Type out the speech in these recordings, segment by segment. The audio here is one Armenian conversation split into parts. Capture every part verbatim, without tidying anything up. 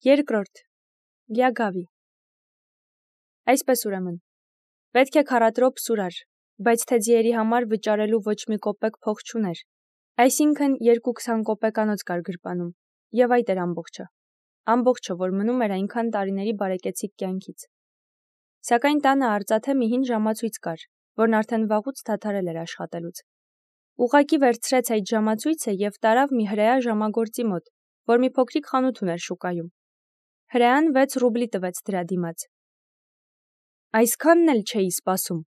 Երկրորդ. Լիագավի։ Այսպես ուրեմն, պետք է քառադրոպ սուր էր, բայց թե ձիերի համար վճարելու ոչ մի կոպեկ փող չուներ, այսինքն երկու քսան կոպեկանոց կար գրպանում, եւ այդ էր ամբողջը, ամբողջը, որ մնում էր այնքան տարիների բարեկեցիկ կյանքից։ Սակայն տանը արծաթե մի հին ժամացույց կար, որն արդեն վաղուց դադարել էր աշխատելուց։ Ուղղակի վերցրեց այդ ժամացույցը եւ տարավ մի հրեա ժամագործի մոտ, որ մի փոքրիկ խանութ ուներ շուկայում։ Հրեան վեց ռուբլի տվեց դրա դիմաց։ Այսքանն էլ չէի սպասում,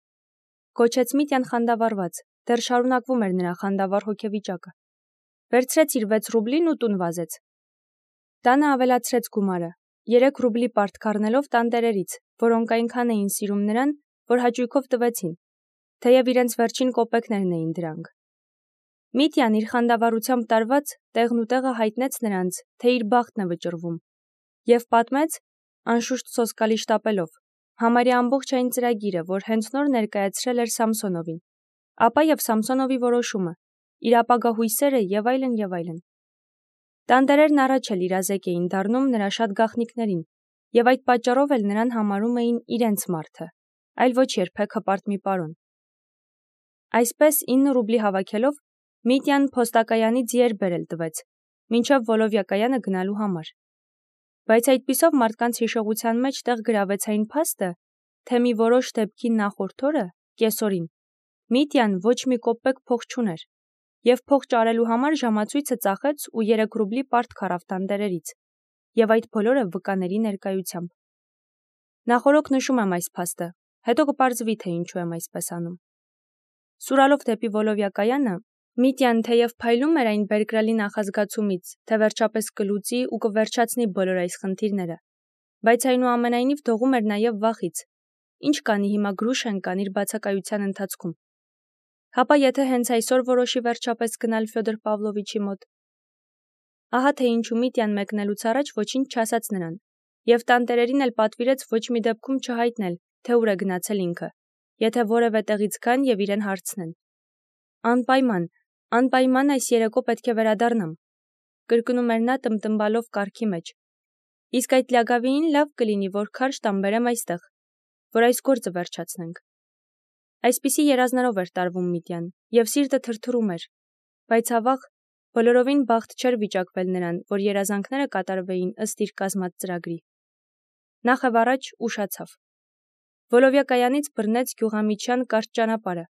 գոչեց Միտյան խանդավառված, դեռ շարունակվում էր նրա խանդավառ հոգեվիճակը։ Վերցրեց իր վեց ռուբլին ու տուն վազեց։ Տանը ավելացրեց գումարը, երեք ռուբլի պարտք առնելով տանտերերից, որոնք այնքան էին սիրում նրան, որ հաճույքով տվեցին, թեև իրենց վերջին կոպեկներն էին դրանք։ Միտյան իր խանդավառությամբ տարված տեղն ու տեղը հայտնեց նրանց, թե իր բախտն է վճռվում, եւ պատմեց, անշուշտ սոսկալի շտապելով, համարյա ամբողջ այն ծրագիրը, որ հենց նոր ներկայացրել էր Սամսոնովին, ապա եւ Սամսոնովի որոշումը, իր ապագա հույսերը եւ այլն եւ այլն։ Տանտերերն առաջ էլ իրազեկ էին դառնում նրա շատ գաղտնիքներին, եւ այդ պատճառով էլ նրան համարում էին իրենց մարդը, այլ ոչ երբեք հպարտ մի պարոն։ Այսպես ինը ռուբլի հավաքելով Միտյան փոստակայանի ձիեր բերել տվեց, մինչև Վոլովյա-կայանը գնալու համար։ Բայց այդպիսով մարդկանց հիշողության մեջ տեղ գրավեց այն փաստը, թե մի որոշ դեպքի նախորդ օրը, կեսօրին, Միտյան ոչ մի կոպեկ փող չուներ, եւ փող ճարելու համար ժամացույցը ծախեց ու երեք ռուբլի պարտք առավ տանտերերից, եւ այդ բոլորը վկաների ներկայությամբ։ Նախորոք նշում եմ այս փաստը, հետո կպարզվի, թե ինչու եմ այսպես անում։ Սուրալով դեպի Վոլովյա-կայանը, Միտյան թեև փայլում էր այն բերկրալի նախազգացումից, թե վերջապես կլուծի ու կվերջացնի բոլոր այս խնդիրները, բայց այնուամենայնիվ դողում էր նաև վախից, ինչ կանի հիմա Գրուշենկան իր բացակայության ընթացքում։ Հապա եթե հենց այսօր որոշի վերջապես գնալ Ֆյոդոր Պավլովիչի մոտ։ Ահա թե ինչու Միտյան մեկնելուց առաջ ոչինչ չասաց նրան, եւ տանտերերին էլ պատվիրեց ոչ մի դեպքում չհայտնել, թե ուր է գնացել ինքը, եթե որևէ տեղից գան եւ իրեն հարցնեն։ Անպայման, անպայման այս երեկո պետք է վերադառնամ, կրկնում էր նա տմտմբալով կառքի մեջ։ Իսկ այդ լիագավիին լավ կլինի, որ քարշ տամ բերեմ այստեղ, որ այս գործը վերջացնենք։ Այսպիսի երազներով էր տարվում Միտյան, եւ սիրտը թրթռում էր, բայց ավաղ բոլորովին բախտ չէր վիճակվել նրան, որ երազանքները կատարվեին ըստ իր կազմած ծրագրի։ Նախ եւ առաջ ուշացավ։ Վոլովյա-կայանից բռնեց գյուղամիջյան կարճ ճանապարհը,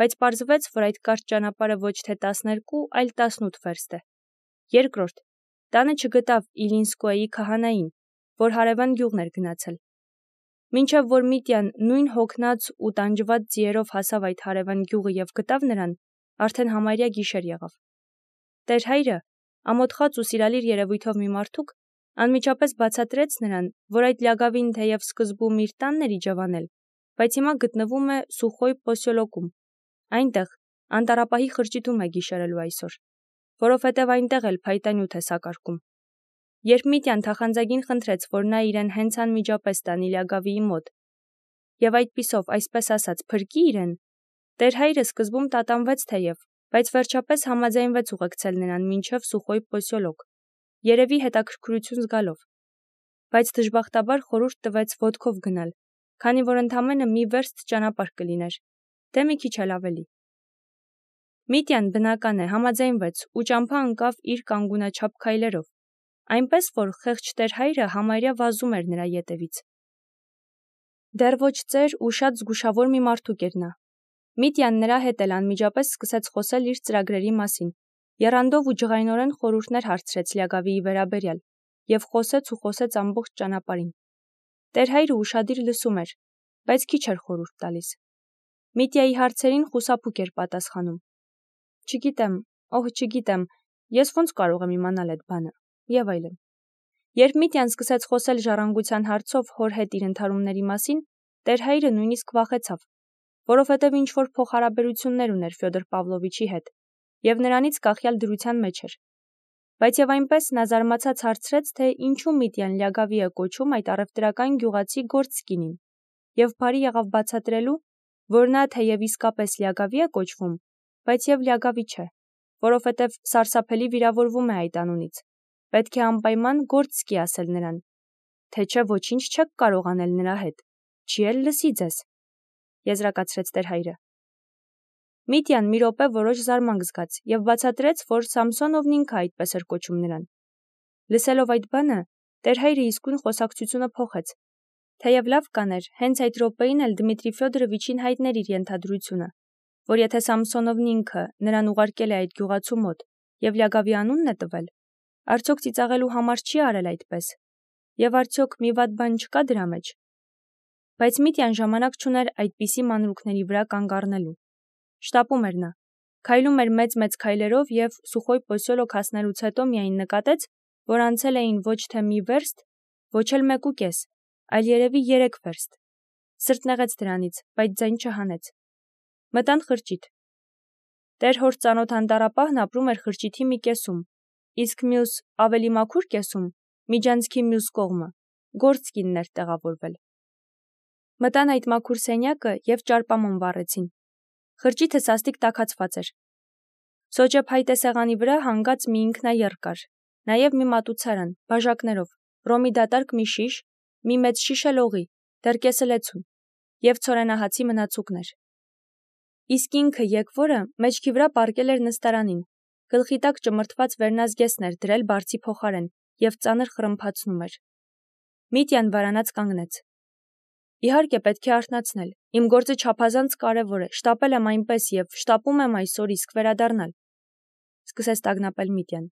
բայց պարզվեց, որ այդ կարճ ճանապարհը ոչ թե տասներկու, այլ տասնութ վերստ է։ Երկրորդ, տանը չգտավ Իլինսկոյի քահանային, որ հարևան գյուղն էր գնացել։ Մինչև որ Միտյան նույն հոգնած ու տանջված ձիերով հասավ այդ հարևան գյուղը եւ գտավ նրան, արդեն համարյա գիշեր եղավ։ Տեր հայրը, ամոթխած ու սիրալիր երևույթով մի մարդուկ, անմիջապես բացատրեց նրան, որ այդ լիագավին թեև սկզբում իր տանն էր իջավանել, բայց հիմա գտնվում է Սուխոյ Պոսյոլոկում, այնտեղ, անտառապահի խրճիթում է գիշերելու այսօր, որովհետև այնտեղ էլ փայտանյութ է սակարկում։ Երբ Միտյան թախանձագին խնդրեց, որ նա իրեն հենց անմիջապես տանի լիագավիի մոտ, եւ այդպիսով, այսպես ասած, փրկի իրեն, տեր հայրը սկզբում տատանվեց թեև, բայց վերջապես համաձայնվեց ուղեկցել նրան մինչև Սուխոյ Պոսյոլոկ, երևի հետաքրքրություն զգալով, բայց դժբախտաբար խորհուրդ տվեց ոտքով գնալ, քանի որ ընդամենը մի վերստ ճանապարհ կլիներ, թե մի քիչ էլ ավելի։ Միտյան բնական է համաձայնվեց ու ճամփա ընկավ իր կանգունաչափ քայլերով, այնպես որ խեղճ տեր հայրը համարյա վազում էր նրա ետևից։ Դեռ ոչ ծեր ու շատ զգուշավոր մի մարդուկ էր նա։ Միտյան նրա հետ էլ անմիջապես սկսեց խոսել իր ծրագրերի մասին, եռանդով ու ջղայնորեն խորհուրդներ հարցրեց լիագավիի վերաբերյալ եւ խոսեց ու խոսեց ամբողջ ճանապարհին։ Տեր հայրը ուշադիր լսում էր, բայց քիչ էր խորհուրդ տալիս։ Միտյայի հարցերին խուսափուկ էր պատասխանում։ Չգիտեմ, օհ, չգիտեմ, ես ոնց կարող եմ իմանալ այդ բանը, եւ այլն։ Երբ Միտյան սկսեց խոսել ժառանգության հարցով հոր հետ իր ընթարումների մասին, տեր հայրը նույնիսկ վախեցավ, որովհետև ինչ որ փոխհարաբերություններ ուներ Ֆյոդոր Պավլովիչի հետ, եւ նրանից կախյալ դրության մեջ էր։ Բայց եւ այնպես նա զարմացած հարցրեց, թե ինչու Միտյան լիագավի է կոչում այդ առևտրական գյուղացի գործկինին, եւ բարի եղավ բացատրելու, որ նա թեև իսկապես լիագավի է կոչվում, բայց եւ լիագավի չէ, որովհետև սարսափելի վիրավորվում է այդ անունից, պետք է անպայման գործ սկի ասել նրան, թե չէ ոչինչ չեք կարող անել նրա հետ, չի էլ լսի ձեզ, եզրակացրեց տեր հայրը։ Միտյան մի րոպե որոշ զարմանք զգաց և բացատրեց, որ Սամսոնովն ինքը այդպես էր կոչում նրան։ Լսելով այդ բանը, տեր հայրը իսկույն խոսակցությունը փոխեց, թեև լավ կաներ, հենց այդ րոպեին էլ Դմիտրի Ֆյոդորովիչին հայտներ իր ենթադրությունը, որ եթե Սամսոնովն ինքը նրան ուղարկել է այդ գյուղացու մոտ և Լյագավի անունն է տվել, արդյոք ծիծաղելու համար չի արել այդպես, և արդյոք մի վատ բան չկա դրա մեջ։ Բայց Միտյան ժամանակ չուներ այդպիսի մանրուքների վրա կանգ առնելու։ Շտապում էր նա, քայլում էր մեծ-մեծ քայլերով և Սուխոյ Պոսյոլոկ հասնելուց հետո միայն նկատեց, որ անցել էին ոչ թե մի վերստ, ոչ էլ մեկուկես, այլ երևի երեք վերստ։ Սրտն եղեց դրանից, բայց ձայն չհանեց։ Մտան խրճիթ։ Տեր հոր ծանոթ անտառապահն ապրում էր խրճիթի մի կեսում, իսկ մյուս ավելի մաքուր կեսում, միջանցքի մյուս կողմը, գործկինն էր տեղավորվել։ Մտան այդ մաքուր սենյակը և ճարպամոմ վառեցին։ Խրճիթը սաստիկ տաքացված էր։ Սոճե փայտե սեղանի վրա հանգած մի ինքնաեռ կար, նաև մի մատուցարան, բաժակներով, ռոմի դատարկ մի շիշ, մի մեծ շիշ էլ օղի, դեռ կեսը լեցուն, և ցորենահացի մնացուկներ։ Իսկ ինքը եկվորը մեջքի վրա պառկել էր նստարանին, գլխի տակ ճմրթված վերնազգեստն էր դրել բարձի փոխարեն և ծանր խրմփացնում էր։ Միտյան վարանած կանգնեց։ Իհարկե պետք է արթնացնել, իմ գործը չափազանց կարևոր է, շտապել եմ այնպես և շտապում եմ այսօր իսկ վերադառնալ, սկսեց տագնապել Միտյան։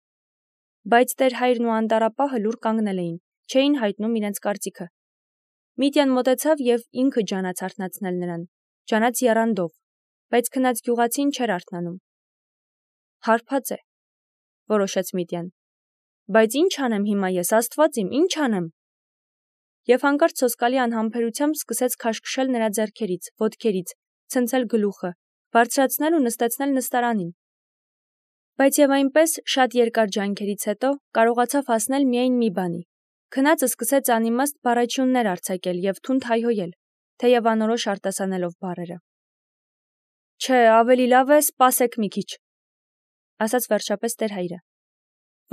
Բայց տեր հայրն ու անտառապահը լուռ կանգնել էին, չէին հայտնում իրենց կարծիքը։ Միտյան մոտեցավ և ինքը ջանաց արթնացնել նրան, ջանաց եռանդով, բայց քնած գյուղացին չէր արթնանում։ Հարբած է, որոշեց Միտյան։ Բայց ինչ անեմ հիմա ես, Աստված իմ, ինչ անեմ։ Եվ հանկարծ սոսկալի անհամբերությամբ սկսեց քաշքշել նրա ձեռքերից, ոտքերից, ցնցել գլուխը, բարձրացնել ու նստեցնել նստարանին։ Բայց և այնպես շատ երկար ջանքերից հետո կարողացավ հասնել միայն մի բանի։ Քնածը սկսեց անիմաստ բառաչյուններ արձակել և թունդ հայհոյել, թեև անորոշ արտասանելով բառերը։ Չէ, ավելի լավ է սպասեք մի քիչ, ասաց վերջապես տեր հայրը,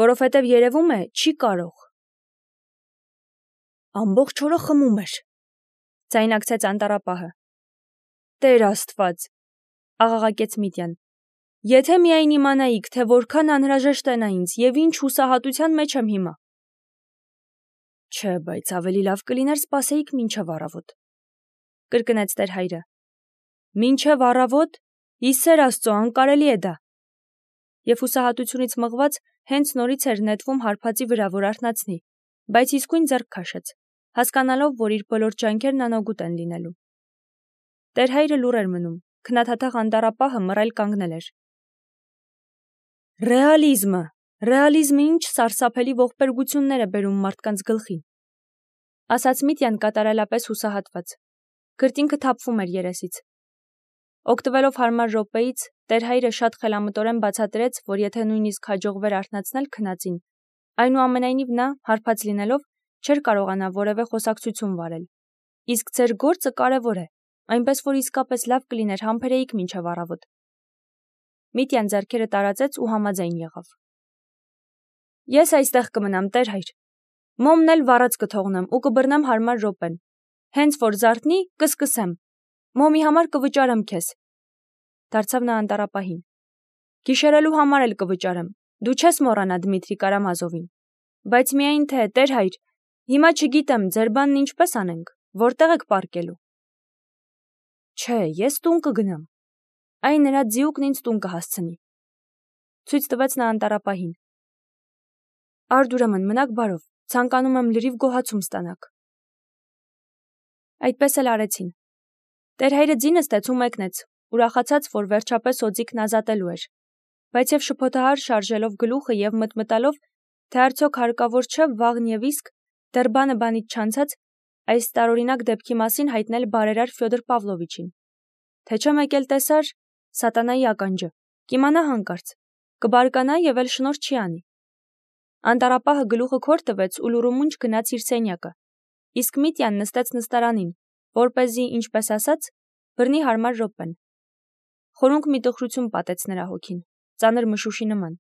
որովհետև երևում է չի կարող։ Ամբողջ օրը խմում էր, ձայնարկեց անտառապահը։ Տեր Աստված, աղաղակեց Միտյան, եթե միայն իմանայիք, թե որքան անհրաժեշտ է նա ինձ և ինչ հուսահատության մեջ եմ հիմա։ Չէ, բայց ավելի լավ կլիներ սպասեիք մինչև առավոտ, կրկնեց տեր հայրը։ Մինչև առավոտ, ի սեր Աստծո, անկարելի է դա։ Եվ հուսահատությունից մղված հենց նորից էր նետվում հարբածի վրա, որ արթնացնի, բայց իսկույն ձեռք քաշեց, հասկանալով, որ իր բոլոր ջանքերն անօգուտ են լինելու։ Տեր հայրը լուռ էր մնում, քնաթաթախ անտառապահը մռայլ կանգնել էր։ Ռեալիզմը, ռեալիզմը ինչ սարսափելի ողբերգություններ է բերում մարդկանց գլխին, ասաց Միտյան կատարելապես հուսահատված։ Քրտինքը թափվում էր երեսից։ Օգտվելով հարմար րոպեից, տեր հայրը շատ խելամտորեն բացատրեց, որ եթե նույնիսկ հաջողվեր արթնացնել քնածին, այնուամենայնիվ նա, հարբած լինելով, չէր կարողանա որևէ խոսակցություն վարել։ Իսկ ձեր գործը կարևոր է, այնպես որ իսկապես լավ կլիներ համբերեիք մինչև առավոտ։ Միտյան ձեռքերը տարածեց ու համաձայն եղավ։ Ես այստեղ կմնամ, տեր հայր։ Մոմն էլ վառած կթողնեմ ու կբռնեմ հարմար րոպեն։ Հենց որ զարթնի, կսկսեմ։ Մոմի համար կվճարեմ քեզ։ Դարձավ նա անտառապահին։ Գիշերելու համար էլ կվճարեմ։ Դու չես մոռանա Դմիտրի Կարամազովին։ Բայց միայն թե, տեր հայր, հիմա չգիտեմ, ձեր բանն ինչպես անենք, որտեղ եք պառկելու։ Չէ, ես տուն կգնամ։ Այն նրա ձիուկն ինձ տուն կհասցնի։ Ցույց տվեց նա անտառապահին։ Արդ ուրեմն մնաք բարով, ցանկանում եմ լրիվ գոհացում ստանաք։ Այդպես էլ արեցին։ Տեր հայրը ձի նստեց ու մեկնեց, ուրախացած, որ վերջապես օձիքն ազատելու էր, բայց և շփոթահար շարժելով գլուխը և մտմտալով, թե արդյոք հարկավոր չէ վաղն և իսկ, դեռ բանը բանից չանցած, այս տարօրինակ դեպքի մասին հայտնել բարերար Ֆյոդոր Պավլովիչին, թե չէ մեկ էլ տեսար սատանայի ականջը, կիմանա հանկարծ, կբարկանա և էլ շնորհ չի անի։ Անտառապահը գլուխը քոր տվեց ու լուրումունջ գնաց իր սենյակը, իսկ Միտյան նստեց նստարանին, որպեսզի, ինչպես ասած, բռնի հարմար րոպեն։ Խորունկ մի տխրություն պատեց նրա հոգին, ծանր մշուշի նման։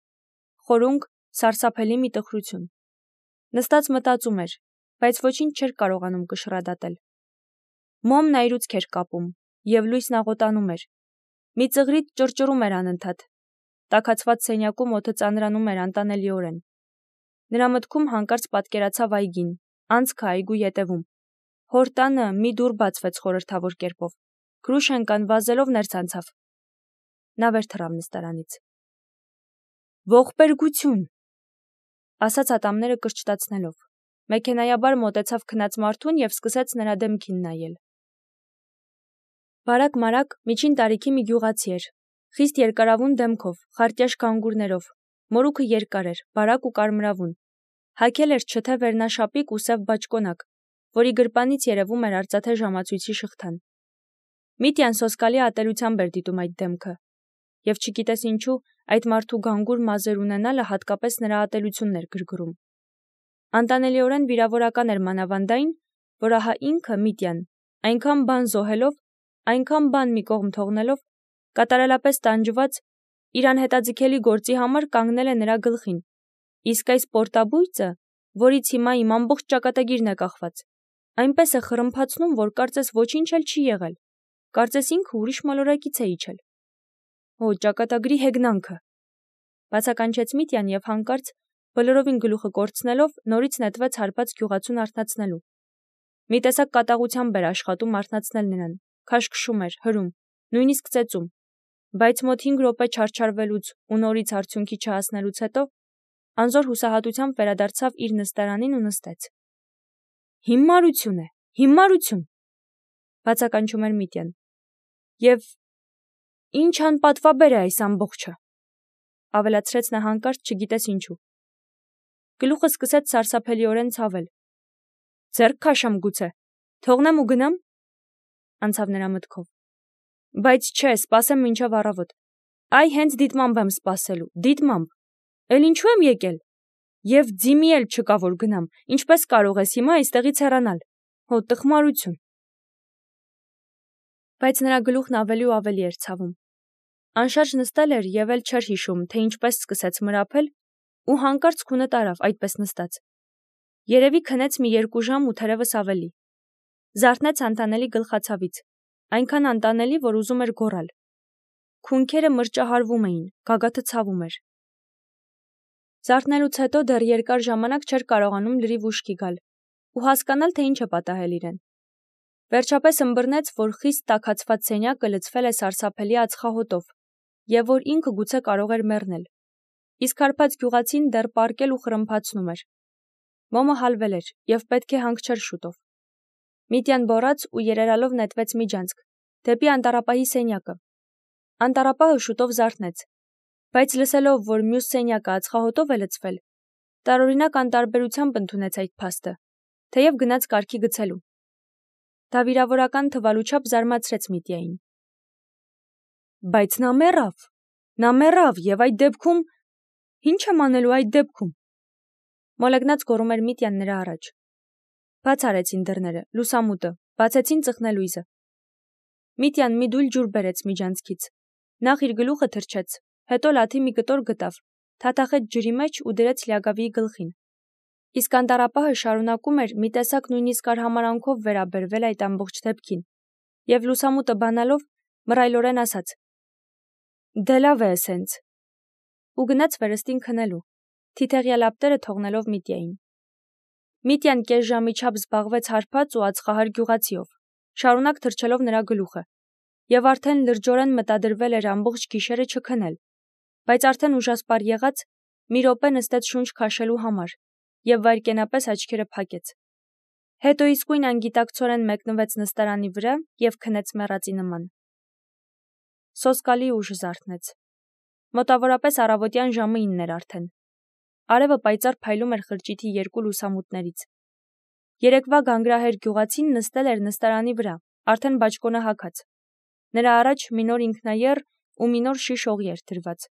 Խորունկ, սարսափելի մի տխրություն։ Նստած մտածում էր, բայց ոչինչ չէր կարողանում կշռադատել։ Մոմն այրուց էր կապում, և լույսն աղոտանում էր։ Մի ծղրիդ ճռճռում էր անընդհատ։ Տաքացված սենյակում օդը ծանրանում էր անտանելիորեն։ Նրա մտքում հանկարծ պատկերացավ այգին, անցքը այգու ետևում։ Հոր տանը մի դուռ բացվեց խորհրդավոր կերպով։ Կրուշենկան վազելով ներս անցավ։ Նա վեր թռավ նստարանից։ Ողբերգություն, ասաց ատամները կրճտացնելով։ Մեքենայաբար մոտեցավ քնած մարդուն և սկսեց նրա դեմքին նայել։ Բարակ-մարակ միջին տարիքի մի գյուղացի էր, խիստ երկարավուն դեմքով, խարտյաշ գանգուրներով, մորուքը երկար էր, բարակ ու կարմրավուն, հագել էր չթե վերնաշապիկ ու սև բաճկոնակ, որի գրպանից երևում էր արծաթե ժամացույցի շղթան։ Միտյան սոսկալի ատելությամբ էր դիտում այդ դեմքը, և չգիտես ինչու այդ մարդու գանգուր մազեր ունենալը հատկապես նրա ատելությունն էր գրգռում։ Անտանելիորեն վիրավորական էր մանավանդայն, որ ահա ինքը Միտյան, այնքան բան զոհելով, այնքան բան մի կողմ թողնելով, կատարելապես տանջված, իր անհետաձգելի գործի համար կանգնել է նրա գլխին, իսկ այս պորտաբույծը, որից հիմա իմ ամբողջ ճակատագիրն է կախված, այնպես է խռմփացնում, որ կարծես ոչինչ էլ չի եղել, կարծես ինքը ուրիշ մոլորակից է իջել։ Օ, ճակատագրի հեգնանքը, բացականչեց Միտյան և հանկարծ, բոլորովին գլուխը կորցնելով, նորից նետվեց հարբած գյուղացուն արթնացնելու։ Մի տեսակ կատաղությամբ էր աշխատում արթնացնել նրան, քաշքշում էր, հրում, նույնիսկ ծեծում, բայց մոտ հինգ րոպե չարչարվելուց ու նորից արդյունքի չհասնելուց հետո անզոր հուսահատությամբ վերադարձավ իր նստարանին ու նստեց։ Հիմարություն է, հիմարություն, բացականչում էր Միտյան։ Եվ ինչ անպատվաբեր է այս ամբողջը, ավելացրեց նա հանկարծ չգիտես ինչու։ Գլուխը սկսեց սարսափելիորեն ցավել։ Ձեռք քաշեմ գուցե, թողնեմ ու գնամ, անցավ նրա մտքով։ Բայց չէ, սպասեմ մինչև առավոտ։ Այ հենց դիտմամբ եմ սպասելու, դիտմամբ։ Էլ ինչու եմ եկել։ Եվ ձիմի էլ չկա որ գնամ, ինչպես կարող ես հիմա այստեղից հեռանալ։ Հո տխմարություն։ Բայց նրա գլուխն ավելի ու ավելի էր ցավում։ Անշարժ նստել էր և էլ չէր հիշում, թե ինչպես սկսեց մրափել, ու հանկարծ քունը տարավ այդպես նստած։ Երևի քնեց մի երկու ժամ ու թերևս ավելի։ Զարթնեց անտանելի գլխացավից, այնքան անտանելի, որ ուզում էր գոռալ։ Քունքերը մրճահարվում էին, գագաթը ցավում էր։ Զարթնելուց հետո դեռ երկար ժամանակ չէր կարողանում լրիվ ուշքի գալ ու հասկանալ, թե ինչ է պատահել իրեն։ Վերջապես ըմբռնեց, որ խիստ տաքացված սենյակը լցվել է սարսափելի ածխահոտով և որ ինքը գուցե կարող էր մեռնել։ Իսկ հարբած գյուղացին դեռ պառկել ու խռմփացնում էր։ Մոմը հալվել էր և պետք է հանգչեր շուտով։ Միտյան բոռաց ու երերալով նետվեց միջանցք, դեպի անտառապահի սենյակը։ Անտառապահը շուտով զարթնեց, բայց լսելով, որ մյուս սենյակը ածխահոտով է լցվել, տարօրինակ անտարբերությամբ ընդունեց այդ փաստը, թեև գնաց կարգի գցելու։ Դա վիրավորական թվալու չափ զարմացրեց Միտյային։ Բայց նա մեռավ, նա մեռավ և այդ դեպքում… Ինչ եմ անելու այդ դեպքում։ Մոլեգնած գոռում էր Միտյան նրա առաջ։ Բաց արեցին դռները, լուսամուտը, բացեցին ծխնելույզը։ Միտյան մի դույլ ջուր բերեց միջանցքից։ Նախ իր գլուխը թրջեց, հետո լաթի մի կտոր գտավ, թաթախեց ջրի մեջ ու դրեց Լիագավիի գլխին։ Իսկ անտառապահը շարունակում էր մի տեսակ նույնիսկ արհամարհանքով վերաբերվել այդ ամբողջ դեպքին, և լուսամուտը բանալով մռայլորեն ասաց. Դե լավ է էսենց։ Ու գնաց վերստին քնելու, թիթեղյա լապտերը թողնելով Միտյային։ Միտյան կես ժամի չափ զբաղվեց հարբած ու ածխահար գյուղացիով, շարունակ թրջելով նրա գլուխը, և արդեն լրջորեն մտադրվել էր ամբողջ գիշերը չքնել, բայց արդեն ուժասպառ եղած մի րոպե նստեց շունչ քաշելու համար և վայրկենապես աչքերը փակեց։ Հետո իսկույն անգիտակցորեն մեկնվեց նստարանի վրա և քնեց մեռածի նման։ Սոսկալի ուժ զարթնեց։ Մոտավորապես առավոտյան ժամը ինն էր արդեն։ Արևը պայծառ փայլում էր խրճիթի երկու լուսամուտներից։ Երեկվա գանգրահեր գյուղացին նստել էր նստարանի վրա, արդեն բաճկոնը հագած։ Նրա առաջ մի նոր ինքնաեռ ու մի նոր շիշ օղի էր դրված։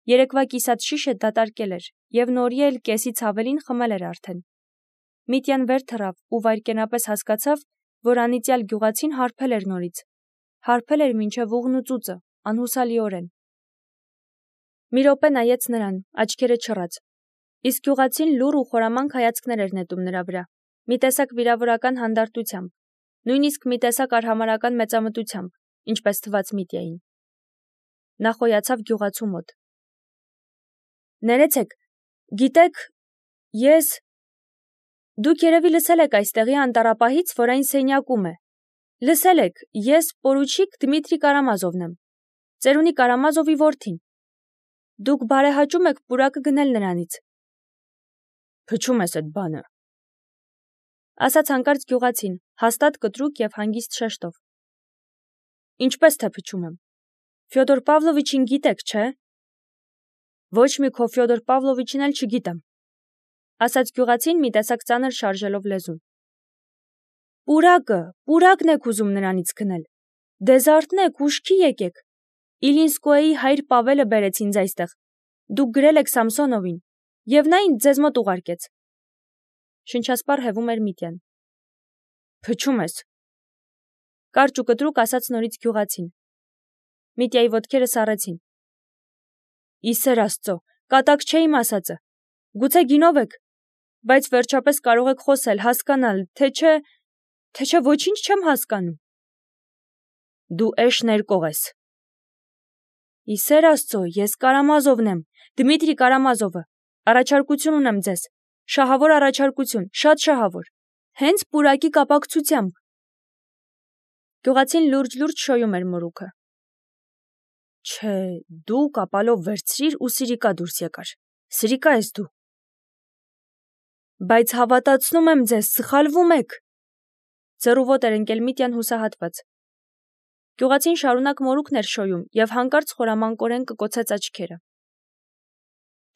Երեկվա կիսած շիշը դատարկել էր և նորի էլ կեսից ավելին խմել էր արդեն։ Միտյան վեր թռավ ու վայրկենապես հասկացավ, որ անիծյալ գյուղացին հարբել էր նորից։ Հարբել էր մինչև ուղն ու ծուծը, անհուսալիորեն։ Մի րոպե նայեց նրան, աչքերը չռած, Իսկ գյուղացին լուռ ու խորամանկ հայացքներ էր նետում նրա վրա, մի տեսակ վիրավորական հանդարտությամբ, նույնիսկ մի տեսակ արհամարհական մեծամտությամբ, ինչպես թվաց Միտյային։ Նա խոյացավ գյուղացու մոտ։ Ներեցեք, գիտեք, ես… Դուք երևի լսել եք այստեղի անտառապահից, որ այն սենյակում է։ Լսել եք, ես պորուչիկ Դմիտրի Կարամազովն եմ, ծերունի Կարամազովի որդին։ Դուք բարեհաճում եք պուրակը գնել նրանից։ Փչում ես այդ բանը, ասաց հանկարծ գյուղացին, հաստատ կտրուկ և հանգիստ շեշտով։ Ինչպես թե փչում եմ։ Ֆյոդոր Պավլովիչին գիտեք, չէ։ Ոչ մի քո Ֆյոդոր Պավլովիչին էլ չգիտեմ, ասաց գյուղացին մի տեսակ ծանր շարժելով լեզուն։ Պուրակը, պուրակն եք ուզում նրանից գնել։ Դեզարթնեք, ուշքի եկեք։ Իլինսկոյի հայր Պավելը բերեց ինձ այստեղ։ Դուք գրել եք Սամսոնովին, և նա ինձ ձեզ մոտ ուղարկեց։ Շնչասպառ հևում էր Միտյան։ Փչում ես։ Կարճ ու կտրուկ ասաց նորից գյուղացին։ Միտյայի ոտքերը սառեցին։ Իսեր Աստծո, կատակ չէ իմ ասածը։ Գուցե գինով եք, բայց վերջապես կարող եք խոսել, հասկանալ, թե չէ, թե չէ ոչինչ չեմ հասկանում։ Դու էշ ներկող ես։ Իսեր Աստծո, ես Կարամազովն եմ, Դմիտրի Կարամազովը, առաջարկություն ունեմ ձեզ, շահավոր առաջարկություն, շատ շահավոր, հենց պուրակի կապակցությամբ։ Գյուղացին լուրջ-լուրջ շոյում էր մորուքը։ Չէ, դու կապալով վերցրիր ու սիրիկա դուրս եկար, սիրիկա ես դու։ Բայց հավատացնում եմ ձեզ, սխալվում եք։ Ձեռուվոտ էր ընկել Միտյան հուսահատված։ Գյուղացին շարունակ մորուքն էր շոյում և հանկարծ խորամանկորեն կկոցեց աչքերը։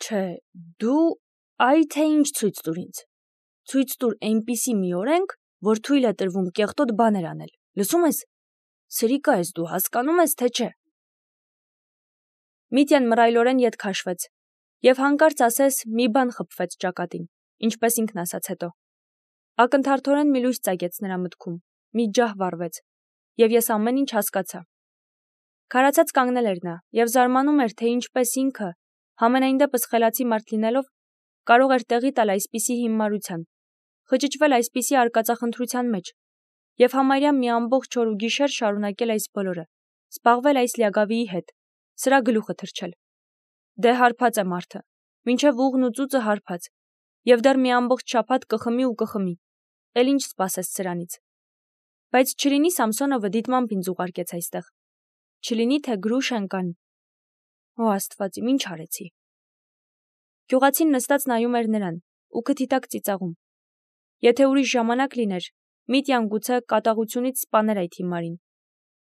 Չէ, դու այ թե ինչ ցույց տուր ինձ։ Ցույց տուր այնպիսի մի օրենք, որ թույլ է տրվում կեղտոտ բաներ անել, լսում ես։ Սրիկա ես դու, հասկանում ես, թե չէ։ Միտյան մռայլորեն ետ քաշվեց և հանկարծ ասես մի բան խփվեց ճակատին, ինչպես ինքն ասաց հետո։ Ակնթարթորեն մի լույս ծագեց նրա մտքում, մի ջահ վառվեց, և ես ամեն ինչ հասկացա։ Քարացած կանգնել էր նա և զարմանում էր, թե ինչպես ինքը, համենայն դեպս խելացի մարդ լինելով, կարող էր տեղի տալ այսպիսի հիմարության, խճճվել այսպիսի արկածախնդրության մեջ և համարյա մի ամբողջ օր ու գիշեր շարունակել այս բոլորը, զբաղվել այս լիագավիի հետ, սրա գլուխը թռչել։ Դե հարբած է մարդը, մինչև ուղն ու ծուծը հարբած, և դեռ մի ամբողջ շաբաթ կխմի ու կխմի, էլ ինչ սպասես սրանից։ Բայց չլինի Սամսոնովը դիտմամբ ինձ ուղարկեց այստեղ, չլինի թե Գրուշենկան։ Օ Աստված իմ, ինչ արեցի։ Գյուղացին նստած նայում էր նրան ու քթի տակ ծիծաղում։ Եթե ուրիշ ժամանակ լիներ, Միտյան գուցե կատաղությունից սպաներ այդ հիմարին,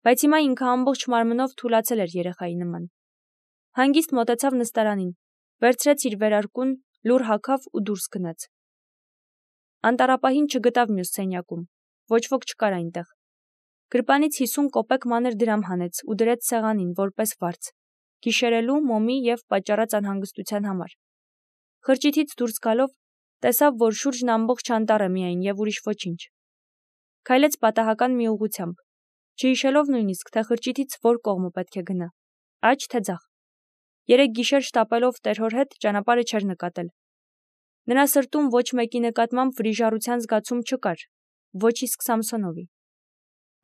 բայց հիմա ինքը ամբողջ մարմնով թուլացել էր երեխայի նման։ Հանգիստ մոտեցավ նստարանին, վերցրեց իր վերարկուն, լուռ հագավ ու դուրս գնաց։ Անտառապահին չգտավ մյուս սենյակում, ոչ ոք չկար այնտեղ։ Գրպանից հիսուն կոպեկ մանր դրամ հանեց ու դրեց սեղանին, որպես վարձ, գիշերելու, մոմի և պատճառած անհանգստության համար։ Խրճիթից դուրս գալով, տեսավ, որ շուրջն ամբողջ անտառ է միայն և ուրիշ ոչինչ։ Քայլեց պատահական մի ուղղությամբ, չհիշելով նույնիսկ, թե խրճիթից որ կողմը պետք է գնա, աջ թե ձախ։ Երեք գիշեր շտապելով տերհոր հետ ճանապարհը չէր նկատել։ Նրա սրտում ոչ մեկի նկատմամբ վրիժառության զգացում չկար, ոչ իսկ Սամսոնովի։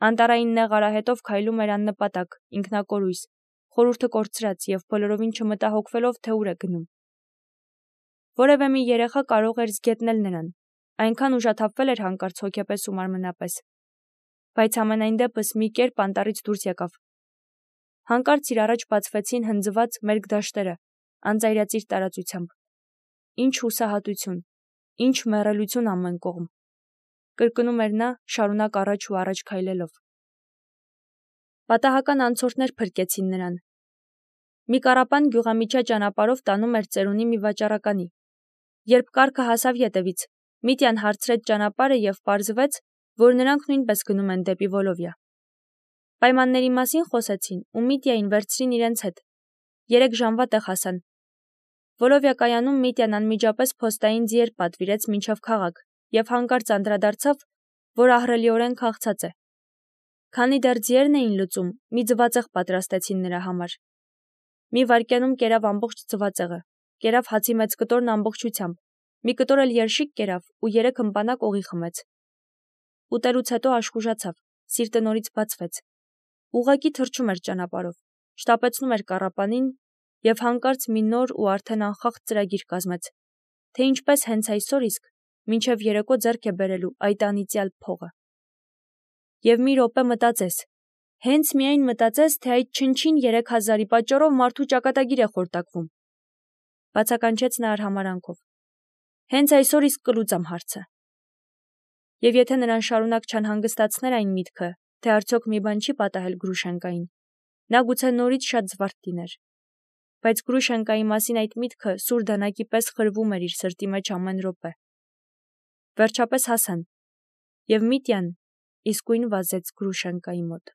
Անտառային նեղ արահետով քայլում էր աննպատակ, ինքնակորույս, խորհուրդը կորցրած և բոլորովին չմտահոգվելով, թե ուր է գնում։ Որևէ մի երեխա կարող էր զգետնել նրան, այնքան ուժաթափվել էր հանկարծ հոգեպես ու մարմնապես, բայց համենայն դեպս մի կերպ անտառից դուրս եկավ։ Հանկարծ իր առաջ բացվեցին հնձված մերկ դաշտերը, անծայրածիր տարածությամբ։ Ինչ հուսահատություն, ինչ մեռելություն ամեն կողմ, կրկնում էր նա, շարունակ առաջ ու առաջ քայլելով։ Պատահական անցորդներ փրկեցին նրան։ Մի կառապան գյուղամիջա ճանապարհով տանում էր ծերունի մի վաճառականի։ Երբ կառքը հասավ ետևից, Միտյան հարցրեց ճանապարհը և պարզվեց, որ նրանք նույնպես գնում են դեպի Վոլովիա։ Պայմանների մասին խոսեցին ու Միտյային վերցրին իրենց հետ։ Երեք ժամվա տեղ հասան։ Վոլովիա կայանում Միտյան անմիջապես փոստային ձիեր պատվիրեց մինչև քաղաք և հանկարծ անդրադարձավ, որ ահռելիորեն քաղցած է։ Քանի դեռ ձիերն էին լուծում, մի ձվածեղ պատրաստեցին նրա համար։ Մի վայրկյանում կերավ ամբողջ ձվածեղը, կերավ հացի մեծ կտորն ամբողջությամբ, մի կտոր էլ երշիկ կերավ ու երեք հմպանակ օղի խմեց։ Ուտելուց հետո աշխուժացավ, սիրտը նորից բացվեց։ Ուղղակի թռչում էր ճանապարհով, շտապեցնում էր կառապանին և հանկարծ մի նոր ու արդեն անխախտ ծրագիր կազմեց, թե ինչպես հենց այսօր իսկ մինչև երեկո ձեռք է բերելու այդ անիծյալ փողը։ Եվ մի րոպե մտածես, հենց միայն մտածես, թե այդ չնչին երեք հազարի պատճառով մարդու ճակատագիր է խորտակվում։ Բացականչեց նա արհամարհանքով։ Հենց այսօր իսկ կլուծեմ հարցը։ Եվ եթե նրան շարունակ չանհանգստացներ այն միտքը, թե արդյոք մի բան չի պատահել Գրուշենկային, նա գուցե նորից շատ զվարթ լիներ։ Բայց Գրուշենկայի մասին այդ միտքը սուր դանակի պես խրվում էր իր սրտի մեջ ամեն րոպե։ Վերջապես հասան, և Միտյան իսկույն վազեց Գրուշենկայի մոտ։